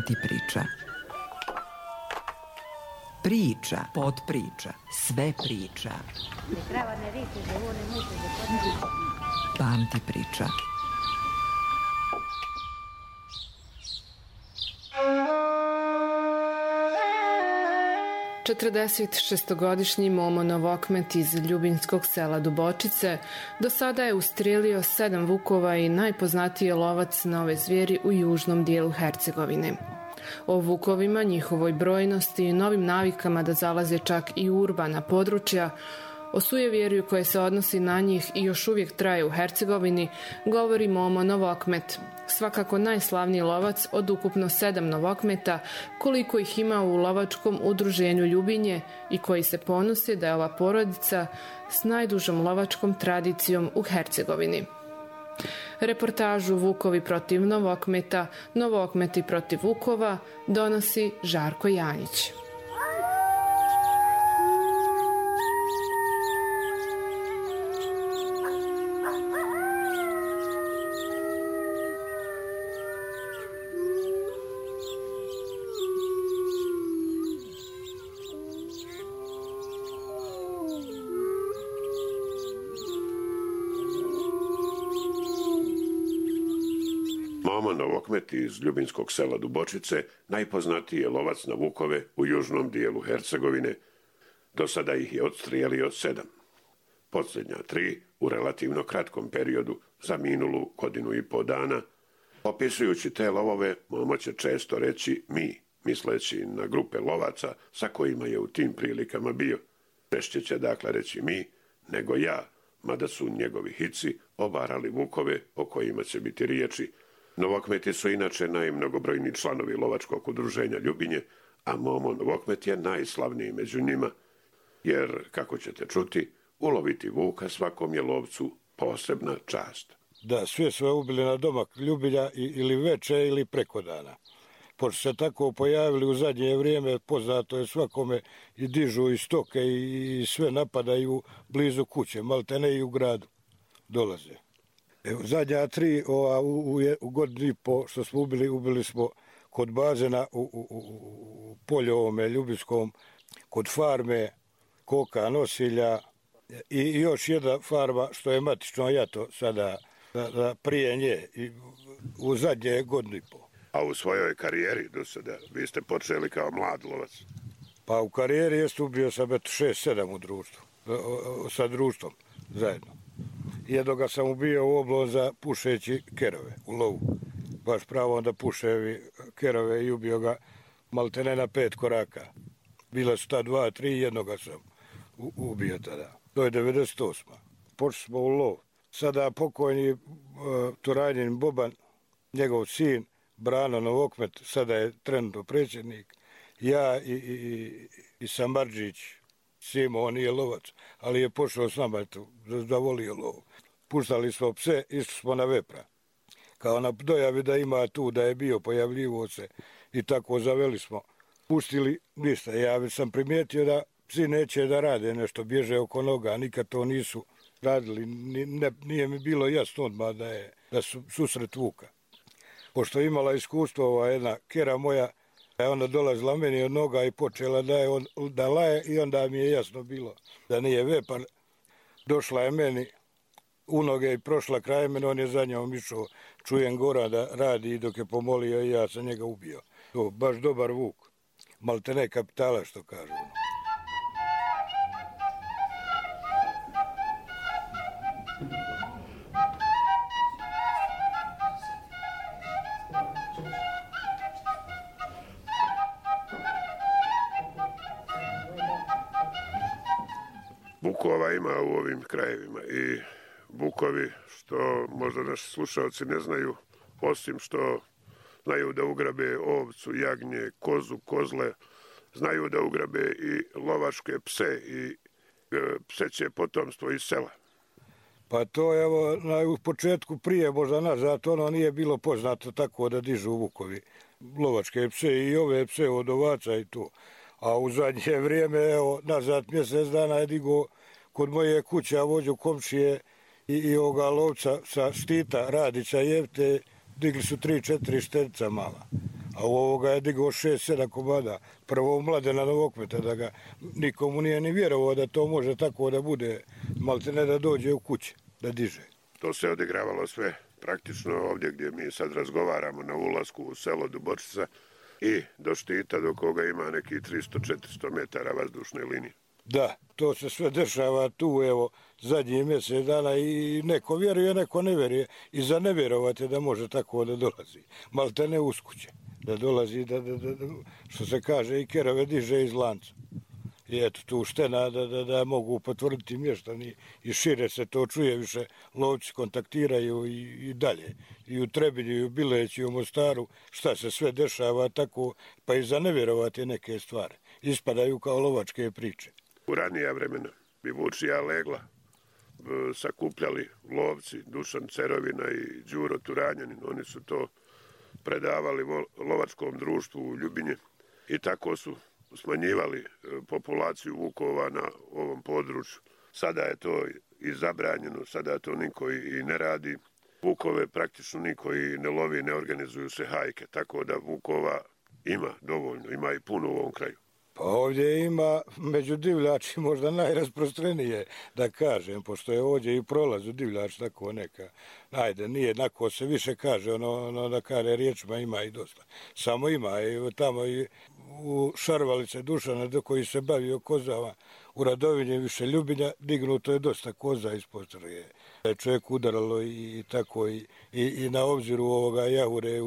Pamti priča. Priča, potpriča, sve priča. Pamti priča. Četrdesetšestogodišnji Momo Novokmet iz ljubinskog sela Dubočice do sada je ustrijelio 7 vukova i najpoznatiji je lovac na ove zvijeri u južnom dijelu Hercegovine. O vukovima, njihovoj brojnosti i novim navikama da zalaze čak i u urbana područja, o sujevjerju koje se odnosi na njih i još uvijek traje u Hercegovini, govori Momo Novokmet, svakako najslavniji lovac od ukupno 7 Novokmeta, koliko ih ima u lovačkom udruženju Ljubinje i koji se ponosi da je ova porodica s najdužom lovačkom tradicijom u Hercegovini. Reportažu Vukovi protiv Novokmeta, Novokmeti protiv Vukova donosi Žarko Janjić. Momo Novokmet iz ljubinskog sela Dubočice najpoznatiji je lovac na vukove u južnom dijelu Hercegovine. Do sada ih je odstrijelio 7. Posljednja 3 u relativno kratkom periodu za minulu godinu i po dana. Opisujući te lovove, Momo će često reći mi, misleći na grupe lovaca sa kojima je u tim prilikama bio. Češće će dakle reći mi nego ja, mada su njegovi hici obarali vukove o kojima će biti riječi. Novokmeti su inače najmnogobrojniji članovi lovačkog udruženja Ljubinje, a Momo Novokmet je najslavniji među njima, jer, kako ćete čuti, uloviti vuka svakom je lovcu posebna čast. Da, sve su ubili na domak Ljubinja ili veče ili preko dana. Pošto se tako pojavili u zadnje vrijeme, poznato je svakome i dižu i stoke i sve napadaju blizu kuće, maltene i u gradu dolaze. Evo, zadnja 3 u godinu i po što smo ubili smo kod bazena u polju ovome ljubinskom, kod farme koka nosilja i još jedna farma što je matično jato sada prije nje u zadnje godinu i po. A u svojoj karijeri do sada vi ste počeli kao mlad lovac? Pa u karijeri jest ubio sam 6-7 u društvu, sa društvom zajedno. Jednoga sam ubio u Oblonza pušeći kerove u lovu. Baš pravo onda puševi kerove i ubio ga maltene na 5 koraka. Bila su ta 2, 3, jednoga sam ubio tada. To je 98. Počeli smo u lov. Sada pokojni Turanjin Boban, njegov sin, Brano Novokmet, sada je trenutno predsjednik. Ja i Samardžić, Simo, on nije lovac, ali je pošao s nama da volio lovu. Puštali smo pse, išli smo na vepra. Kao na dojavi da ima tu, da je bio, pojavljivo se i tako zaveli smo. Pustili ništa. Ja već sam primijetio da psi neće da rade nešto, bježe oko noga, nikad to nisu radili. Nije mi bilo jasno odmah da su susret vuka. Pošto je imala iskustvo ova jedna kera moja, ona dolazila meni od noga i počela da laje i onda mi je jasno bilo da nije vepar. Došla je meni u noge i prošla kraj mene, on je za njom išao, čujem gora da radi i dok je pomolio i ja sam njega ubio. To baš dobar vuk, maltene kapitala što kažu. Vukova ima u ovim krajevima i vukovi, što možda naši slušalci ne znaju, osim što znaju da ugrabe ovcu, jagnje, kozu, kozle, znaju da ugrabe i lovačke pse i pseće potomstvo iz sela. Pa to evo u početku prije možda nazad ono nije bilo poznato tako da dižu vukovi lovačke pse i ove pse od ovaca i to. A u zadnje vrijeme, evo, nazad mjesec dana je digo kod moje kuće, vođu komšije i ovoga lovca sa štita Radića Jevte, digli su 3-4 štenca mala. A u ovoga je digao 6-7 komada. Prvo Mladena Novokmeta, da ga nikomu nije ni vjerovao da to može tako da bude, malte ne da dođe u kuće, da diže. To se odigravalo sve praktično ovdje gdje mi sad razgovaramo na ulasku u selo Dubočica i do štita do koga ima neki 300-400 metara vazdušne linije. Da, to se sve dešava tu, evo, zadnji mjesec dana i neko vjeruje, neko ne vjeruje. I za ne vjerovati da može tako da dolazi. Malte ne uz kuće. Da dolazi, što se kaže, i kerove diže iz lanca. I eto, tu štena da mogu potvrditi mještani i šire se to čuje više. Lovci kontaktiraju i dalje. I u Trebinju, i u Bileću, i u Mostaru, šta se sve dešava tako, pa i za ne vjerovati neke stvari. Ispadaju kao lovačke priče. U ranija vremena bi Vučija legla sakupljali lovci Dušan Cerovina i Đuro Turanjanin. Oni su to predavali lovačkom društvu u Ljubinje i tako su smanjivali populaciju vukova na ovom području. Sada je to i zabranjeno, sada to niko i ne radi. Vukove praktično niko i ne lovi, ne organizuju se hajke, tako da vukova ima dovoljno, ima i puno u ovom kraju. Pa ovdje ima među divljači možda najrasprostrenije, da kažem, pošto je ovdje i prolazu divljač tako neka. Ajde, nije jednako se više kaže, ono da kaže riječima ima i dosta. Samo ima i tamo i u Šarvalice Dušana koji se bavio kozama, u Radovinje više Ljubinja, dignuto je dosta koza ispod Trje. Čovjek udaralo i tako i na obziru ovoga jahure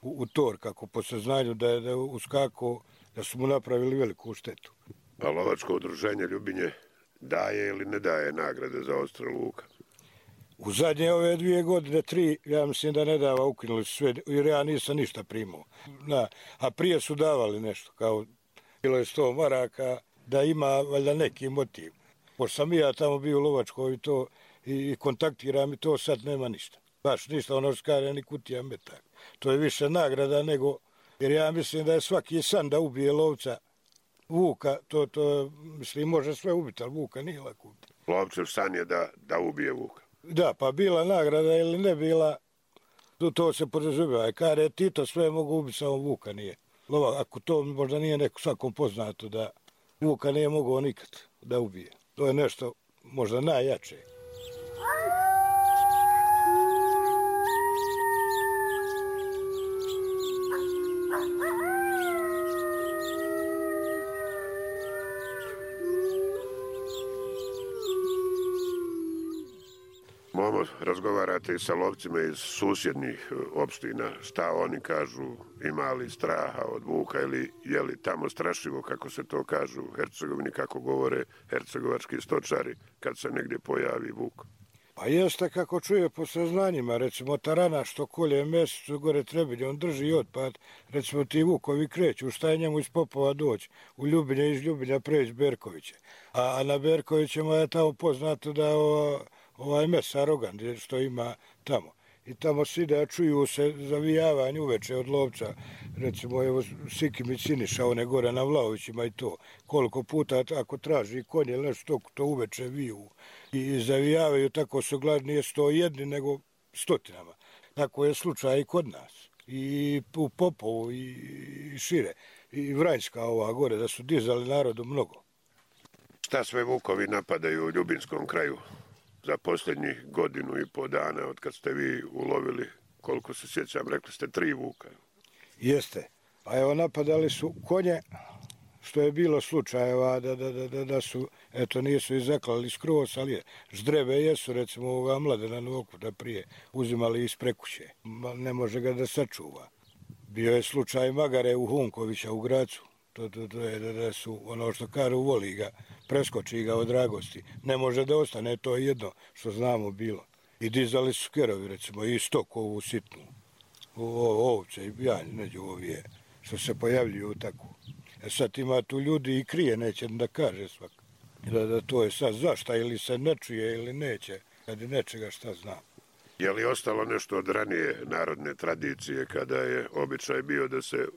u tor, kako po saznanju da je uskako, da su mu napravili veliku štetu. A lovačko udruženje Ljubinje daje ili ne daje nagrade za odstrel vuka? U zadnje ove 2 godine, 3, ja mislim da ne dava, ukinuli su sve, jer ja nisam ništa primao. A prije su davali nešto, kao bilo je 100 maraka, da ima valjda neki motiv. Pošto sam ja tamo bio u Lovačkoj i kontaktiram i to sad nema ništa. Baš ništa, ono skare ni kutija metak. To je više nagrada nego, jer ja mislim da je svaki san da ubije lovca vuka, to mislim može sve ubiti, ali vuka nije lako ubiti. Lovčev san je da ubije vuka. Da, pa bila nagrada ili ne bila, to se podrazumijeva. Kare Tito sve mogu ubiti, samo vuka nije. Ako to možda nije neko svakom poznato da vuka nije mogao nikad da ubije. To je nešto možda najjače. Momo, razgovarate i sa lovcima iz susjednih opština, šta oni kažu, ima li straha od vuka ili je li tamo strašivo, kako se to kažu u Hercegovini, kako govore hercegovački stočari kad se negdje pojavi vuk? Pa jeste kako čuje po saznanjima, recimo tarana što kolje mjesecu gore Trebinje, on drži otpad, recimo ti vukovi kreću, šta je njemu iz Popova doći, u Ljubinje, iz Ljubinja preći Berkoviće. A na Berkovićima je tamo poznato da ovaj mesar Rogan, što ima tamo. I tamo svi da čuju se zavijavanje uveče od lovca, recimo evo Sikimić Siniša, one gore na Vlaovićima i to. Koliko puta ako traži konje ili nešto, to uveče viju i zavijavaju, tako su gladni, nije 101 nego stotinama. Tako je slučaj i kod nas. I u Popovu i šire. I Vranjska ova gore, da su dizali narodu mnogo. Šta sve vukovi napadaju u Ljubinskom kraju? Za posljednjih 1,5 godinu dana, od kad ste vi ulovili, koliko se sjećam, rekli ste 3 vuka. Jeste. A evo napadali su konje, što je bilo slučajeva da su, eto nisu i zaklali skroz, ali ždrebe jesu, recimo ovoga Mladena Novokmeta prije, uzimali iz prekuće. Ne može ga da sačuva. Bio je slučaj Magare u Hunkovića u Gracu. To je da su, ono što kažu, voli ga, preskoči ga od dragosti. Ne može da ostane, to je jedno što znamo bilo. I dizali su kerovi, recimo, i stok ovu sitnu. Ovce i janj, neđu ovije, što se pojavljuju tako. Sad ima tu ljudi i krije, neće da kaže svak. Da to je sad zašta, ili se ne čuje ili neće, kad je nečega šta zna. Je li ostalo nešto od ranije narodne tradicije, kada je običaj bio da se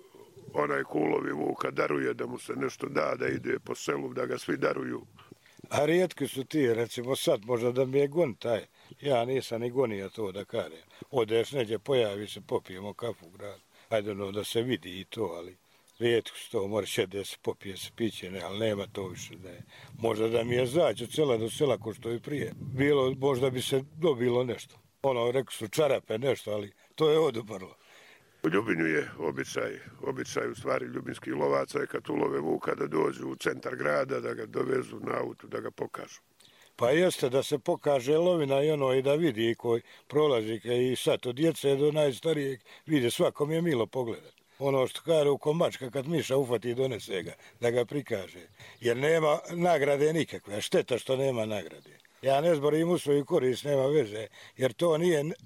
onaj kulovi vuka daruje, da mu se nešto da ide po selu, da ga svi daruju? A rijetki su ti, recimo sad možda da mi je gon taj. Ja nisam ni gonio to da kažem. Odeš neđe, pojavi se, popijemo kafu u gradu. hajde ono da se vidi i to, ali rijetko se to mora će da se popije se piće, ne, ali nema to više da je. Možda da mi je zaći od sela do sela ko što i prije. Bilo, možda bi se dobilo nešto. Ono, rekli su čarape nešto, ali to je oduprlo. U Ljubinju je običaj u stvari ljubinskih lovaca je kad ulove vuka da dođu u centar grada, da ga dovezu na autu, da ga pokažu. Pa jeste da se pokaže lovina i ono i da vidi koji prolazi i sad od djece do najstarijeg vide, svakom je milo pogledati. Ono što kaže u komačka kad miša ufati i donese ga, da ga prikaže. Jer nema nagrade nikakve, šteta što nema nagrade. Ja ne zborim u svoju korist, nema veze, jer to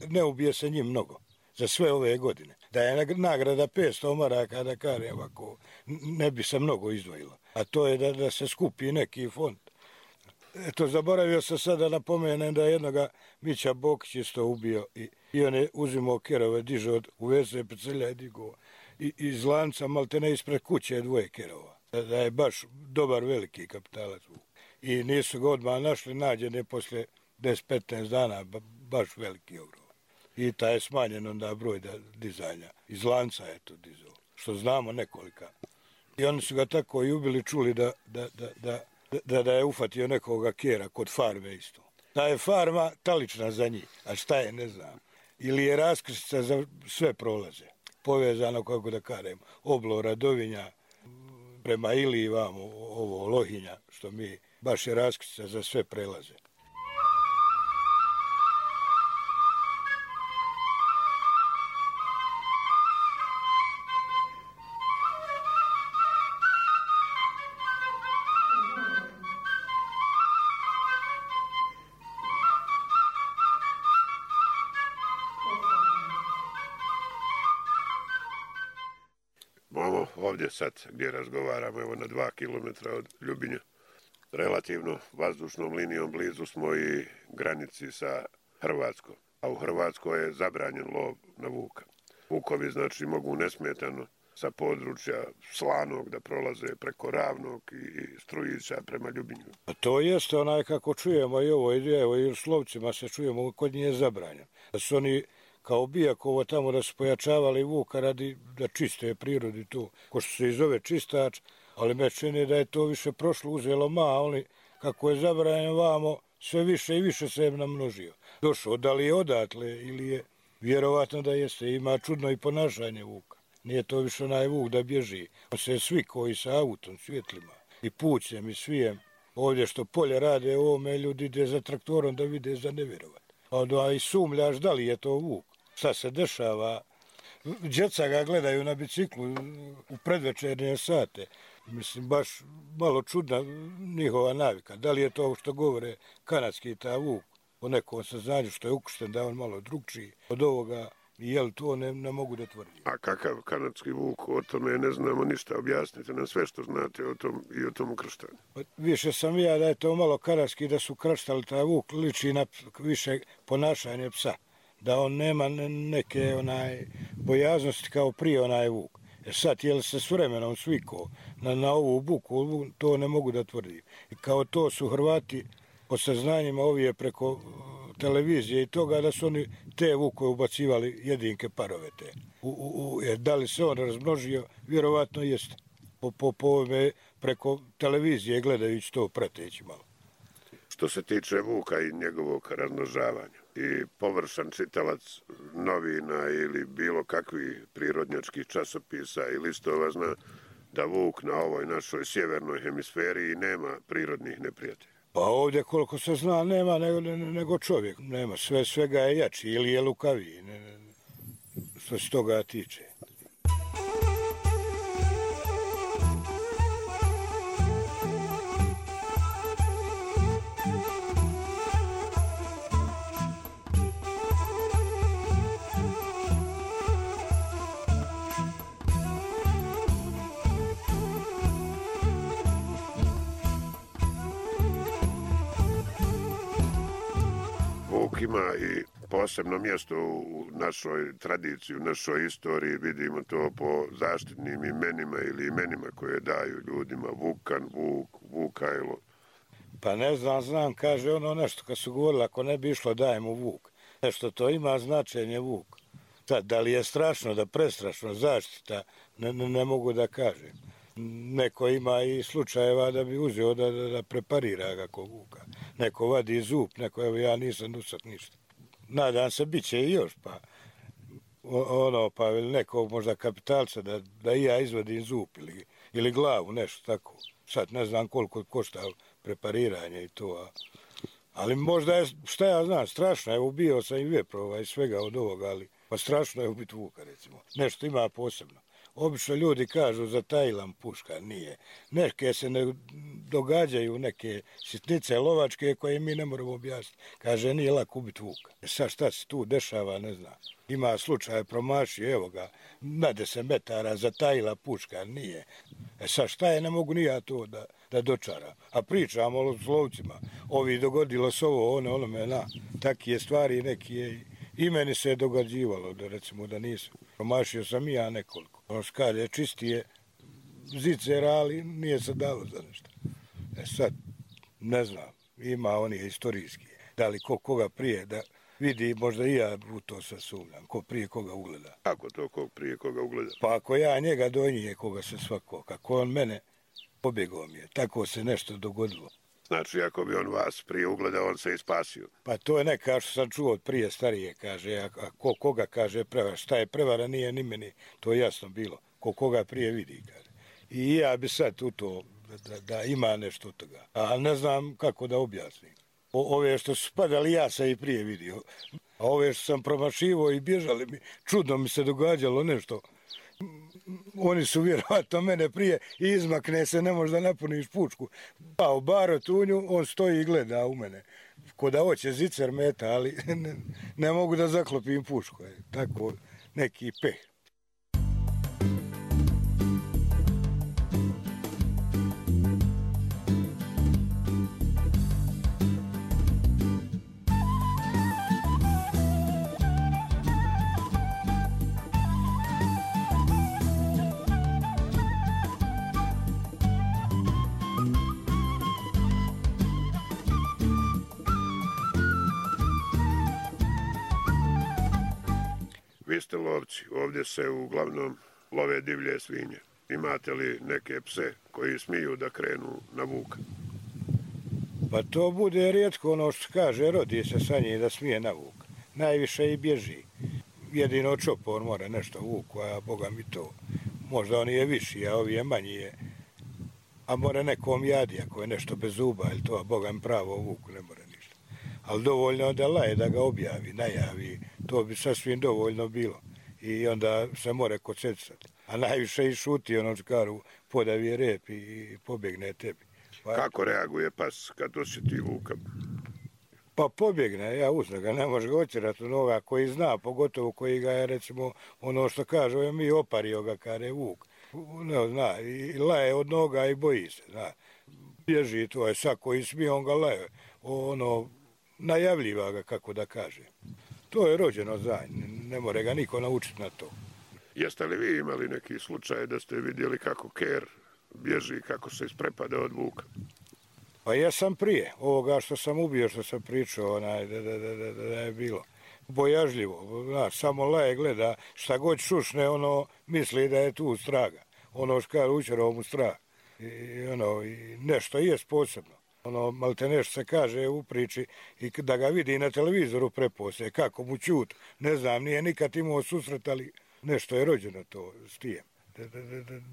ne ubije se njim mnogo za sve ove godine. Da je nagrada 500 maraka, da kaže ovako, ne bi se mnogo izdvojilo. A to je da se skupi neki fond. Eto, zaboravio sam sada napomenem da je jednoga Mića Bokić isto ubio i on je uzimao kerove, dižao u veze pecelja i digao. I iz lanca maltene ispred kuće je 2 kerova. Da je baš dobar veliki kapitalac. I nisu ga odmah našli, nađen je posle 10-15 dana, baš veliki ogrom. I taj je smanjen onda broj dizanja. Iz lanca je to dizao, što znamo nekolika. I oni su ga tako i ubili, čuli da je ufatio nekoga kjera kod farme isto. Da je farma talična za njih, a šta je ne znam. Ili je raskrstica za sve prolaze. Povezano, kako da kažem, oblo Radovinja prema Iliji vamo, ovo Lohinja, što mi baš je raskrstica za sve prelaze. Ovdje sad gdje razgovaramo, evo na 2 kilometra od Ljubinja, relativno vazdušnom linijom blizu smo i granici sa Hrvatskom, a u Hrvatskoj je zabranjen lov na vuka. Vukovi znači mogu nesmetano sa područja Slanog da prolaze preko Ravnog i Strujića prema Ljubinju. A to jeste onaj kako čujemo i ovo, i u Slovcima se čujemo, kod njih je zabranjen. Da su oni kao Bijakovo tamo da su pojačavali vuka radi da čiste prirodi tu, ko što se i zove čistač, ali me čini da je to više prošlo, uzelo ali kako je zabranjen vamo, sve više i više se je namnožio. Došao, da li je odatle ili je, vjerovatno da jeste, ima čudno i ponašanje vuka. Nije to više onaj vuk da bježi. On se svi koji sa autom, svjetlima i pućem i svijem, ovdje što polje rade ovome, ljudi ide za traktorom da vide za nevjerovat. Onda i sumljaš da li je to vuk. Šta se dešava? Djeca ga gledaju na biciklu u predvečernje sate. Mislim, baš malo čudna njihova navika. Da li je to što govore kanadski ta vuk o nekom saznanju što je ukršten, da je on malo drugčiji od ovoga, jel to ne mogu da tvrdim. A kakav kanadski vuk, o tome ne znamo ništa, objasnite nam sve što znate o tom i o tom ukrštanju. Više sam ja da je to malo kanadski, da su kraštali taj vuk, liči na više ponašanje psa. Da on nema neke bojaznosti kao prije onaj vuk. Sad, jel se s vremenom svikao na ovu buku, to ne mogu da tvrdim. I kao to su Hrvati po saznanjima ovije preko televizije i toga da su oni te vukove ubacivali jedinke parove te. Jer da li se on razmnožio, vjerovatno jeste. Po ovome preko televizije gledajući to prateći malo. Što se tiče vuka i njegovog razmnožavanja i površan čitalac novina ili bilo kakvih prirodnjačkih časopisa i listova zna da vuk na ovoj našoj sjevernoj hemisferi nema prirodnih neprijatelja. Pa ovdje koliko se zna nema nego čovjek. Nema, svega je jači ili je lukaviji, što se toga tiče. Ima i posebno mjesto u našoj tradiciji, u našoj istoriji, vidimo to po zaštitnim imenima ili imenima koje daju ljudima, Vukan, Vuk, Vukajlo. Pa ne znam, kaže ono nešto kad su govorili, ako ne bi išlo daje mu Vuk. Nešto to ima značenje Vuk. Sad, da li je strašno, da prestrašno, zaštita, ne mogu da kažem. Neko ima i slučajeva da bi uzeo da preparira ga kog vuka. Neko vadi zub, neko, evo ja nisam do sad ništa. Nadam se, bit će i još, pa pa nekog možda kapitalca da i ja izvadim zub ili glavu, nešto tako. Sad ne znam koliko košta prepariranje i to, ali možda je, šta ja znam, strašno, evo bio sam i veprova i svega od ovoga, ali pa strašno je ubiti vuka, recimo. Nešto ima posebno. Obično ljudi kažu za Tajlan puška, nije. Neke se ne događaju, neke sitnice lovačke koje mi ne moramo objasniti. Kaže, nije lako ubiti vuka. Sad šta se tu dešava, ne znam. Ima slučaj promašio, evo ga, na 10 metara za Tajla puška, nije. Sad šta je, ne mogu ni ja to da dočaram. A pričamo o lovcima. Ovi dogodilo se ovo, onome, takije stvari neki je. I meni se je događivalo, recimo da nisam. Promašio sam i ja nekoliko. Ono skade čistije zicera, ali nije se dalo za nešto. Sad, ne znam, ima oni istorijski. Da li koga prije da vidi, možda i ja u to sad sumnjam, ko prije koga ugleda. Kako to ko prije koga ugleda? Pa ako ja njega do njih koga se svako, kako on mene pobjegao mi je, tako se nešto dogodilo. Znači, ako bi on vas prije ugledao, on se i spasio. Pa to je neka što sam čuo od prije starije, kaže, a koga kaže prevara, šta je prevara, nije ni meni, to je jasno bilo, koga prije vidi, kaže. I ja bi sad u to, da ima nešto od toga, a ne znam kako da objasnim. Ove što su spadali, ja sam i prije vidio, a ove što sam promašivo i bježali mi, čudno mi se događalo nešto. Oni su vjerovatno mene prije i izmakne se, ne možda napuniš pučku. Pa u baro tunju, on stoji i gleda u mene. Ko da hoće zicer meta, ali ne mogu da zaklopim pušku. Tako neki peh. Vi ste lovci, ovdje se uglavnom love divlje svinje. Imate li neke pse koji smiju da krenu na vuka? Pa to bude rijetko ono što kaže, rodi se sa njim da smije na vuk. Najviše i bježi. Jedino čopor mora nešto vuku, a boga mi to. Možda on je viši, a ovi je manji je. A mora nekom jadi, ako je nešto bez zuba, ili to, a boga mi pravo vuku, ne mora ništa. Ali dovoljno da laje, da ga objavi, najavi, to bi sasvim dovoljno bilo. I onda se more kocecati. A najviše i šuti, ono čkaru, podavi rep i pobjegne tebi. Pa, kako reaguje pas kad osjeti vuka? Pa pobjegne, ja uzna ga, ne može ga otjerati onoga koji zna, pogotovo koji ga je, recimo, ono što kaže, mi opario ga kada je vuk. Ne zna, i laje od noga i boji se, zna. Bježi, to je sad koji smije, on ga laje. Ono, najavljiva ga, kako da kaže. To je rođeno za ne more ga niko naučiti na to. Jeste li vi imali neki slučaj da ste vidjeli kako ker bježi, kako se isprepada od vuka? Pa ja sam prije, ovoga što sam ubio, što sam pričao, da je bilo bojažljivo. Znaš, samo laje gleda, šta god šušne, ono misli da je tu straga. Ono škar učerao mu strah. I nešto je posebno. Malte nešto se kaže u priči i da ga vidi na televizoru prepose, kako mu čut, ne znam, nije nikad imao susret, ali nešto je rođeno to s tijem,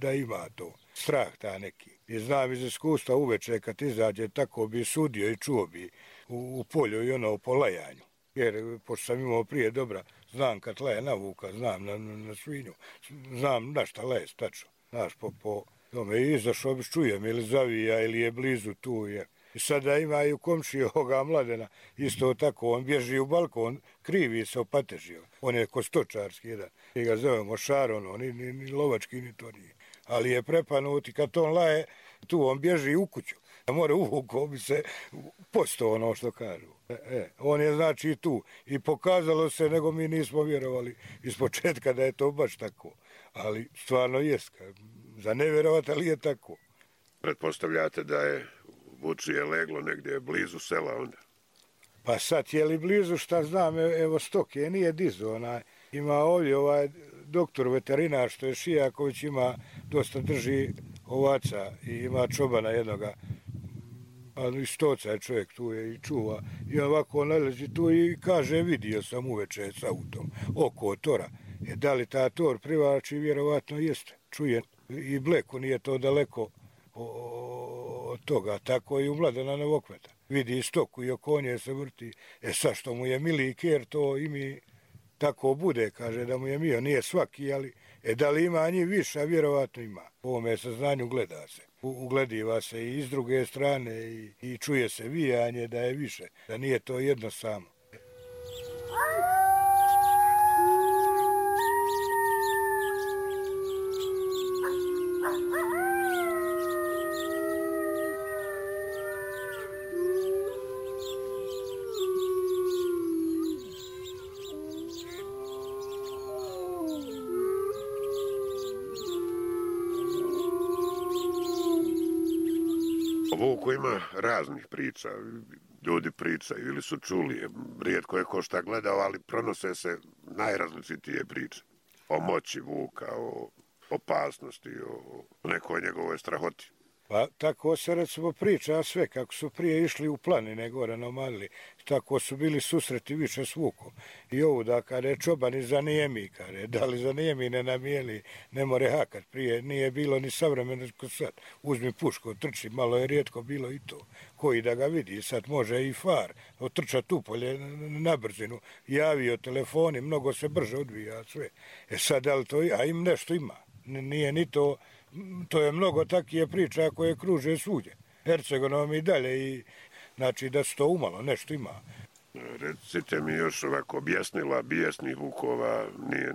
da ima to, strah ta neki. I znam iz iskustva uveče kad izađe, tako bi sudio i čuo bi u polju i po lajanju. Jer, pošto sam imao prije dobra, znam kad laje na vuka, znam na svinju, znam na šta laje stačno, znaš, po tome izašao bi čujem ili zavija ili je blizu tu je. I sada imaju komšije ovoga Mladena, isto tako, on bježi u balkon, krivi se opatežio. On je kostočarski jedan, mi ga zovemo Šaron, ni lovački, ni to nije. Ali je prepanut i kad on laje, tu on bježi u kuću. More uvukao bi se posto ono što kažu. On je znači tu i pokazalo se, nego mi nismo vjerovali iz početka da je to baš tako. Ali stvarno jest, za ne vjerovati, ali je tako. Pretpostavljate da je vučije leglo negdje blizu sela onda? Pa sad je li blizu, šta znam, evo stoke, nije dizo, Ima ovdje ovaj doktor veterinar što je Šijaković, ima dosta drži ovaca i ima čobana jednoga. A i stoca je čovjek tu je i čuva. I ovako nalazi tu i kaže vidio sam uveče s autom oko tora. Da li ta tor privlači? Vjerovatno jeste. Čuje i Bleku, nije to daleko od toga. Tako i u Mladena Novokmeta. Vidi stoku i oko nje se vrti. Sad što mu je mili ker, to i mi tako bude, kaže da mu je mio. Nije svaki, ali da li ima njih više, vjerovatno ima. Po ovome saznanju gleda se. Uglediva se i iz druge strane i čuje se vijanje da je više, da nije to jedno samo. O vuku ima raznih priča, ljudi pričaju ili su čuli, rijetko je ko šta gledao, ali pronose se najrazličitije priče. O moći vuka, o opasnosti, o nekoj njegovoj strahoti. Pa tako se recimo priča sve kako su prije išli u planine gore na Omadili, tako su bili susreti više s vukom. I ovu da kada je čobani zanijemi, kada da li zanijemi ne namijeli, ne more hakat. Prije nije bilo ni savremeno ko sad. Uzmi pušku, trči, malo je rijetko bilo i to. Koji da ga vidi, sad može i far, otrča tupolje na brzinu, javio telefoni, mnogo se brže odvija sve. Sad da li to, a im nešto ima, nije ni to. To je mnogo takije priča koje kruže svugdje. Hercegonom i dalje i znači da se to umalo, nešto ima. Recite mi još ovako objasnila bijesnih vukova,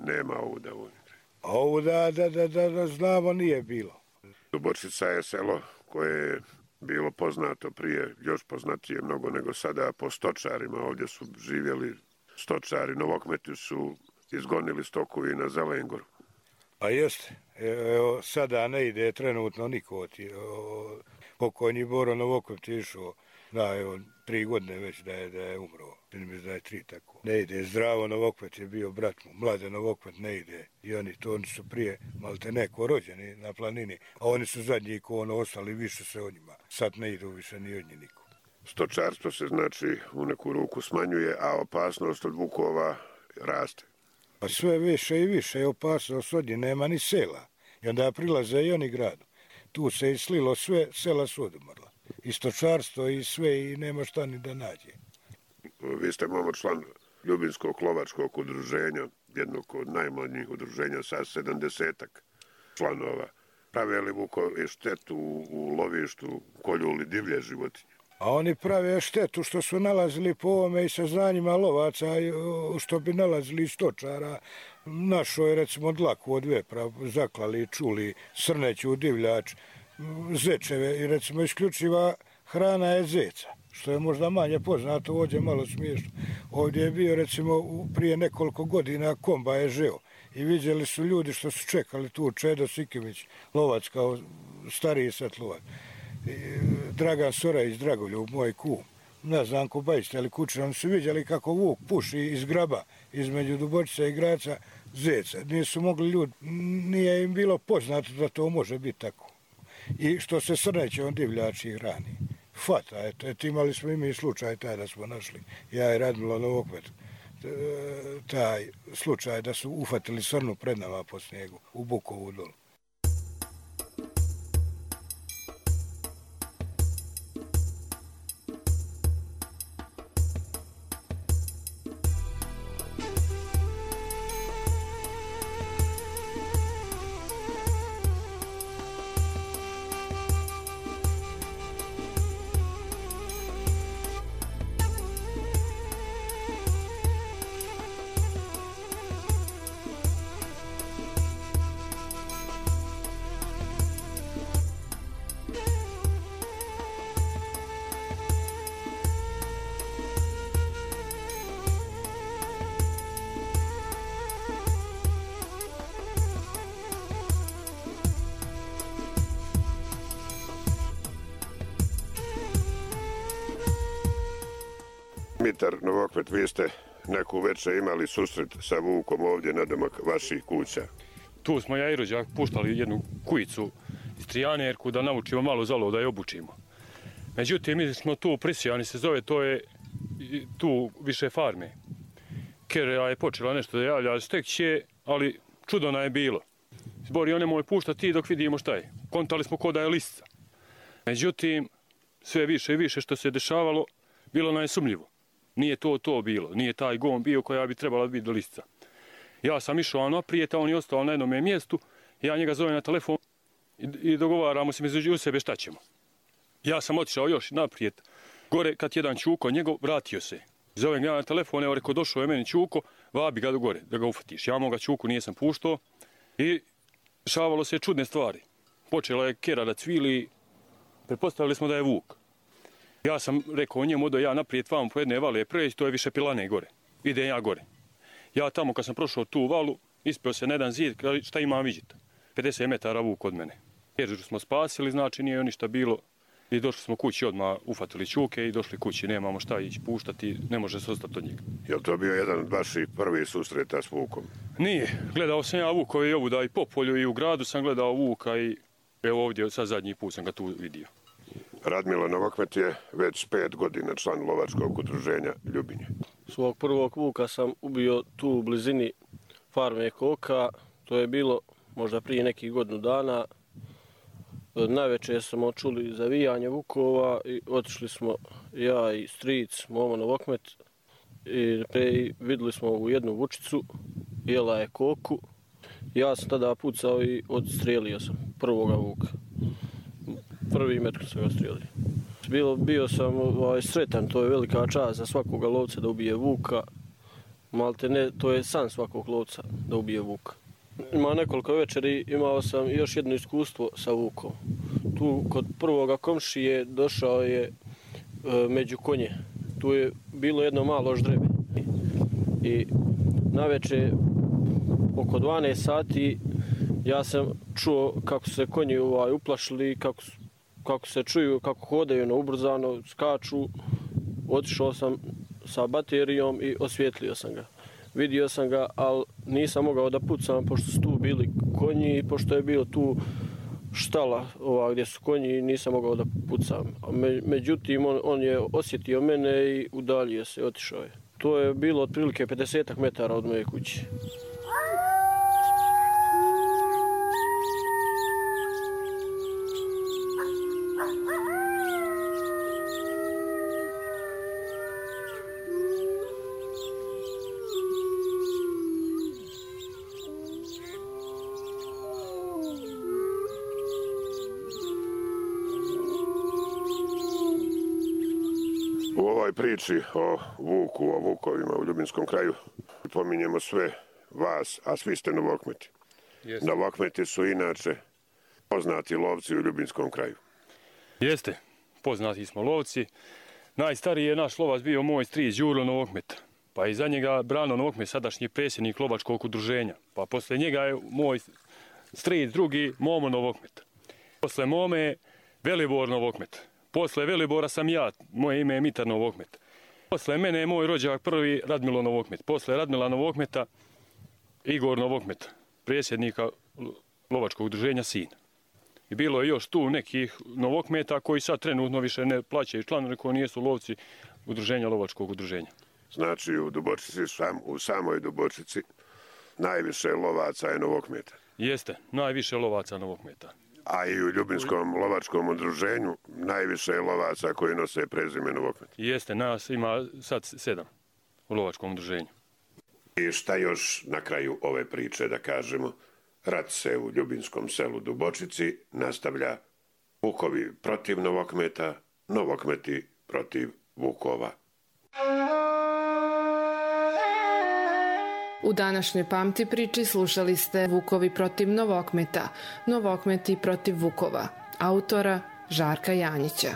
nema ovu da volite. A ovu da znamo nije bilo. Dubočica je selo koje je bilo poznato prije, još poznatije mnogo nego sada po stočarima. Ovdje su živjeli stočari, Novokmeti su izgonili stoku i na Zelengoru. Pa jeste, evo sada ne ide trenutno niko pokojni Boro Novokmet je išao, da evo 3 godine već da je umro, da je 3 tako. Ne ide, Zdravo Novokmet je bio brat mu, Mlade Novokmet ne ide i oni su prije malte neko rođeni na planini, a oni su zadnji ko ostali više se o njima, sad ne idu više ni od njih niko. Stočarstvo se znači u neku ruku smanjuje, a opasnost od vukova raste. Pa sve više i više je opasnost od njih, nema ni sela. I onda prilaze i oni gradu. Tu se islilo sve, sela su odumrla. I stočarstvo i sve i nema šta ni da nađe. Vi ste momo član Ljubinskog lovačkog udruženja, jednog od najmlađih udruženja sa 70-ak članova. Prave li vukovi štetu u lovištu, kolju li divlje životinje? A oni prave štetu što su nalazili po ovome i saznanjima lovaca, što bi nalazili stočara. Našo je recimo dlaku od vepra, zaklali, čuli, srneću, divljač, zečeve i recimo isključiva hrana je zeca, što je možda manje poznato, ovdje malo smiješno. Ovdje je bio recimo prije nekoliko godina komba je žeo i vidjeli su ljudi što su čekali tu, Čedo Sikimić, lovac kao stariji sad lovac. Dragan Sorajić, Dragoljub, moj kum, ne znam ko bajste, ali kuće, oni su vidjeli kako vuk puši iz graba, između Dubočica i Graca, zeca. Nisu mogli ljudi, nije im bilo poznato da to može biti tako. I što se srneće on divljači hrani. Fata, eto, imali smo i mi slučaj taj da smo našli, ja i Radmilo Novokmet, taj slučaj da su ufatili srnu pred nama po snijegu, u Bukovu dolu. Mitar Novokmet, vi ste neku večer imali susret sa vukom ovdje na domak vaših kuća? Tu smo ja i rođak puštali jednu kujicu iz Trijanerku da naučimo malo zalo, da je obučimo. Međutim, mi smo tu prisijani se zove, to je tu više farme. Kera je počela nešto da javlja, stek će, ali čudona je bilo. Zbori, on nemoj puštati dok vidimo šta je. Kontali smo ko da je listica. Međutim, sve više i više što se dešavalo, bilo nam je sumnjivo. Nije to bilo, nije taj gon bio koja bi trebala biti do listica. Ja sam išao naprijed, a on je ostao na jednom mjestu, ja njega zovem na telefon i dogovaramo se među sebe šta ćemo. Ja sam otišao još naprijed, gore kad jedan čuko njegov vratio se. Zovem ga na telefon, evo reko došao je meni čuko, vabi ga do gore da ga ufatiš. Ja moga čuku nisam puštao i dešavalo se čudne stvari. Počela je kera da cvili, pretpostavili smo da je vuk. Ja sam rekao njemu da ja naprijed vam po jedne vale preći, to je više pilane gore. Idem ja gore. Ja tamo kad sam prošao tu valu, ispeo se na jedan zid, šta imam vidjeti? 50 metara vuk od mene. Ježu smo spasili, znači nije ništa bilo. I došli smo kući odmah, ufatili čuke i došli kući, nemamo šta ići puštati, ne može se ostati od njega. Je li to bio jedan od vaših prvih susreta s vukom? Nije, gledao sam ja vuka i ovuda i po polju i u gradu sam gledao vuka i evo ovdje sad zadnji put sam ga tu vidio. Radmilo Novokmet je već 5 godina član lovačkog udruženja Ljubinje. Svog prvog vuka sam ubio tu u blizini farme Koka, to je bilo možda prije nekih godinu dana. Najveće smo čuli zavijanje vukova i otišli smo ja i stric Momo Novokmet i vidjeli smo ovu jednu vučicu, jela je koku. Ja sam tada pucao i odstrijelio sam prvoga vuka. Prvi metr sam ga strijelio. Bio sam sretan, to je velika čast za svakoga lovca da ubije vuka. Malte ne, to je san svakog lovca da ubije vuka. Ima nekoliko večeri, imao sam još jedno iskustvo sa vukom. Tu kod prvoga komšije došao je među konje. Tu je bilo jedno malo ždrebe. I navečer oko 12 sati ja sam čuo kako se konji uplašili, kako se čuju, kako hodaju na ubrzano, skaču. Otišao sam sa baterijom i osvijetlio sam ga. Vidio sam ga, ali nisam mogao da pucam pošto su tu bili konji i pošto je bio tu štala gdje su konji, nisam mogao da pucam. Međutim, on je osjetio mene i udaljio se, otišao je. To je bilo otprilike 50 metara od moje kuće. U ovoj priči o vuku, o vukovima u Ljubinskom kraju pominjemo sve vas, a svi ste Novokmeti. Jeste. Novokmeti su inače poznati lovci u Ljubinskom kraju. Jeste, poznati smo lovci. Najstariji je naš lovac bio moj stric Đuro Novokmet. Pa iza njega Brano Novokmet, sadašnji predsjednik lovačkog udruženja. Pa posle njega je moj stric drugi Momo Novokmet. Posle Mome Velibor Novokmet. Posle Velibora sam ja, moje ime je Mitar Novokmet. Posle mene je moj rođak prvi Radmilo Novokmet. Posle Radmila Novokmeta Igor Novokmet, predsjednika lovačkog udruženja sin. I bilo je još tu nekih Novokmeta koji sad trenutno više ne plaćaju članove koji nijesu lovci udruženja lovačkog udruženja. Znači u samoj Dubočici najviše lovaca je Novokmeta. Jeste, najviše lovaca Novokmeta. A i u Ljubinskom lovačkom udruženju najviše je lovaca koji nose prezime Novokmet. Jeste, nas ima sad 7 u lovačkom udruženju. I šta još na kraju ove priče da kažemo? Rat se u Ljubinskom selu Dubočici nastavlja. Vukovi protiv Novokmeta, Novokmeti protiv vukova. U današnjoj Pamti priči slušali ste Vukovi protiv Novokmeta, Novokmeti protiv vukova, autora Žarka Janjića.